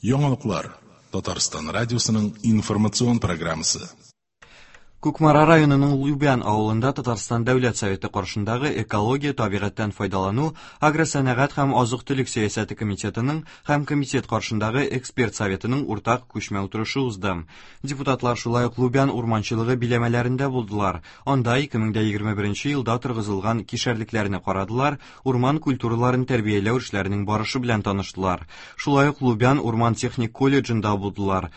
Яңалыклар. Татарстан радиосының информацион программасы. Кукмара районының Лубян авылында Татарстан Дәүләт Советы каршындагы экология, табигатьтән файдалану, агросәнәгать һәм азык-төлек сәясәте комитетының һәм комитет каршындагы эксперт советының уртак күчмә утырышы узды. Депутатлар шулай ук Лубян урманчылыгы биләмәләрендә булдылар. Анда 2021 елда торгызылган кишәрлекләрне карадылар, урман культураларын тәрбияләү эшләренең барышы белән таныштылар. Шулай ук Лубян урман техник колледжында булдылар.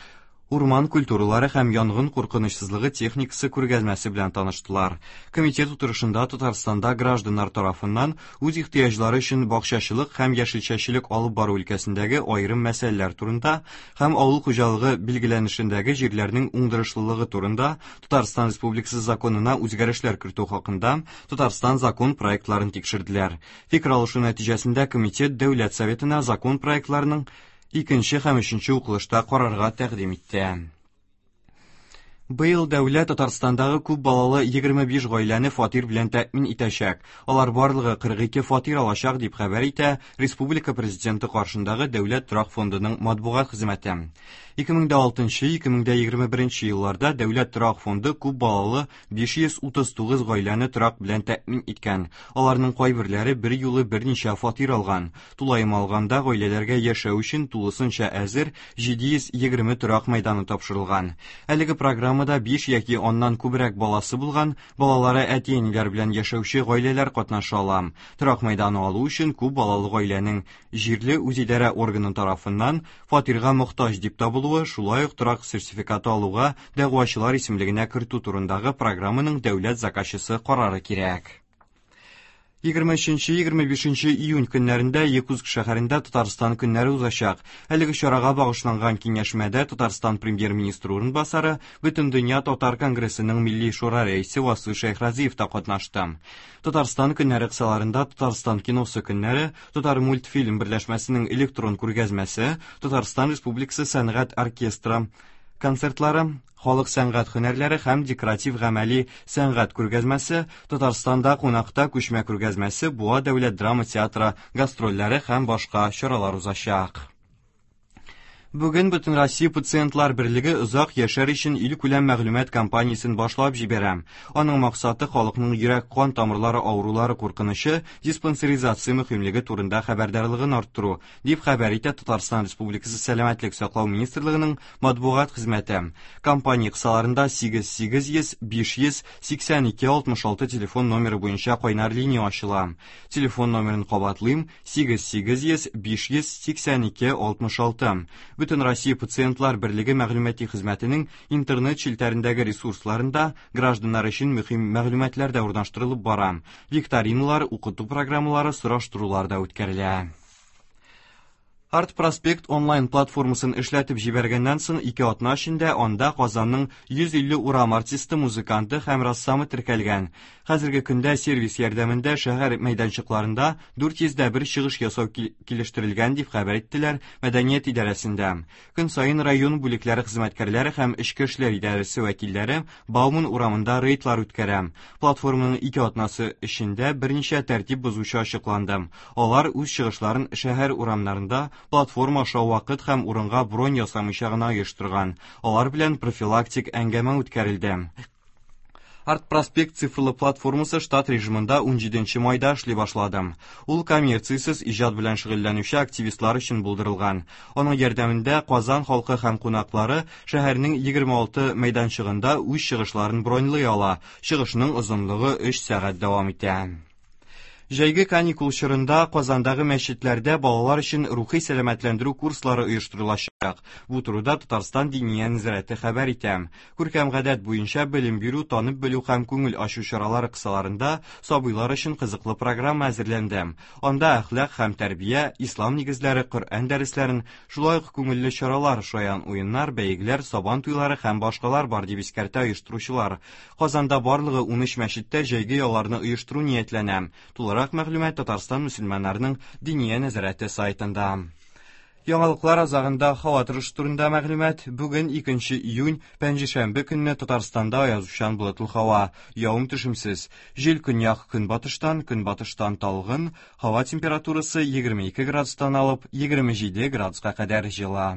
Урман культуралары һәм янгын куркынычсызлыгы техникасы күргәзмәсе белән таныштылар. Комитет утырышында Татарстанда гражданнар тарафыннан үз ихтыяҗлары өчен бакчачылык һәм яшелчәчелек алып бару өлкәсендәге аерым мәсьәләләр турында һәм авыл хуҗалыгы билгеләнешендәге җирләрнең уңдырышлылыгы турында Татарстан Республикасы законына үзгәрешләр кертү хакында Татарстан закон проектларын тикшерделәр. Фикер алышу нәтиҗәсендә комитет Дәүләт Советына закон проектларының икенче һәм өченче укылышта карарга тәкъдим итте. Быел дәүләт Татарстандагы күп балалы 25 гаиләне фатир белән тәэмин итәчәк. Алар барлыгы 42 фатир алачак, дип хәбәр итә Республика Президенты каршындагы Дәүләт торак фондының матбугат хезмәте. 2006-2021 елларда Дәүләт торак фонды күп балалы 539 гаиләне торак белән тәэмин иткән. Аларның кайберләре бер юлы берничә фатир алган. Тулаем алганда, гаиләләргә яшәү өчен тулысынча әзер 720 торак мәйданы тапшырылган. Әлеге программада 5 яки аннан күбрәк баласы булган, балалары әти-әниләр белән яшәүче гаиләләр катнаша ала. Торак мәйданы алу өчен күп балалы гаиләнең җирле үзидарә органы тарафыннан фатирга мохтаҗ дип табылуы, шулай ук торак сертификаты алуга дәгъвачылар исемлегенә кертү турындагы программаның дәүләт заказчысы карары кирәк. 23-25 июнь көннәрендә Якутск шәһәрендә Татарстан көннәре узачак. Әлеге чарага багышланган киңәшмәдә Татарстан премьер-министры урынбасары, Бөтендөнья татар конгрессының Милли шура рәисе Васил Шәйхразиев та катнашты. Татарстан көннәре кысаларында Татарстан киносы көннәре, Татар мультфильм берләшмәсенең электрон күргәзмәсе, Татарстан Республикасы сәнгать оркестры концертлары, халык сәнгать һөнәрләре һәм декоратив гамәли сәнгать күргәзмәсе, Татарстанда кунакта күчмә күргәзмәсе, Буа дәүләт драма театры гастрольләре һәм башка чаралар узачак. Бүген Бөтенроссия пациентлар берлеге озак яшәр өчен илкүләм мәгълүмат кампаниясен башлап җибәрә. Аның максаты халыкның йөрәк-кан тамырлары авырулары куркынычы, диспансеризация мөһимлеге турында хәбәрдарлыгын арттыру, дип хәбәр итә Татарстан Республикасы Сәламәтлек саклау министрлыгының матбугат хезмәте. Кампания кысаларында 8 800 500 82 66 телефон номеры буенча кайнар линия ачыла. Телефон номерын кабатлыйм: 8 800 582 66. Бөтен Россия пациентлар берлеге мәгълүмати хезмәтенең интернет челтәрендәге ресурсларында гражданнар өчен мөһим мәгълүматлар да урнаштырылып бара. Викториналар, укыту программалары, сораштырулар да үткәрелә. Арт Проспект онлайн платформасын эшләтеп җибәргәннән соң 2 атна эчендә анда Казанның 150 урам артисты, музыканты һәм рәссамы теркәлгән. Хәзерге көндә сервис ярдәмендә шәһәр мәйданчыкларында 401 чыгыш ясау килештерелгән, дип хәбәр иттеләр мәдәният идарәсендә. Көн саен район бүлекләре хезмәткәрләре һәм эчке эшләр идарәсе вәкилләре Бауман урамында рейдлар үткәрә. Платформаның 2 атнасы эчендә берничә тәртип бозучы ачыкланды. Алар үз чыгышларын шәһәр урамнарында платформа аша вакыт һәм урынга бронь ясамыйча гына оештырган. Алар белән профилактик әңгәмә үткәрелде. Арт Проспект цифрлы платформасы штат режимында 17 майда эшли башлады. Ул коммерциясез иҗат белән шөгыльләнүче активистлар өчен булдырылган. Аның ярдәмендә Казан халкы һәм кунаклары шәһәрнең 26 мәйданчыгында үз чыгышларын броньлый ала. Чыгышның озынлыгы 3 сәгать дәвам итә. Җәйге каникул чорында Казандагы мәчетләрдә балалар өчен рухи сәламәтләндерү курслары оештырылачак. Бу турыда Татарстан Диния нәзарәте хәбәр итә. Күркәм гадәт буенча белем бирү, танып белү һәм күңел ачу чаралары кысаларында сабыйлар өчен кызыклы программа әзерләнде. Анда әхлак һәм тәрбия, ислам нигезләре, Коръән дәресләрен, шулай ук күңелле чаралар, шаян уеннар, бәйгеләр, сабан туйлары һәм башкалар бар, дип искәртә оештыручылар. Казанда барлыгы 13 мәчеттә җәйге ялларны оештыру ниятләнә. Тулырак мәгълүмат Татарстан мөселманнарының Диния нәзарәте сайтында. Яңалыклар азагында һава торышы турында мәгълүмат. Бүген 2 июнь, пәнҗешәмбе көнне Татарстанда аязучан болытлы һава, явым-төшемсез. Җил көньяк көнбатыштан, көнбатыштан талгын, һава температурасы 22 градустан алып 27 градуска кадәр җылы.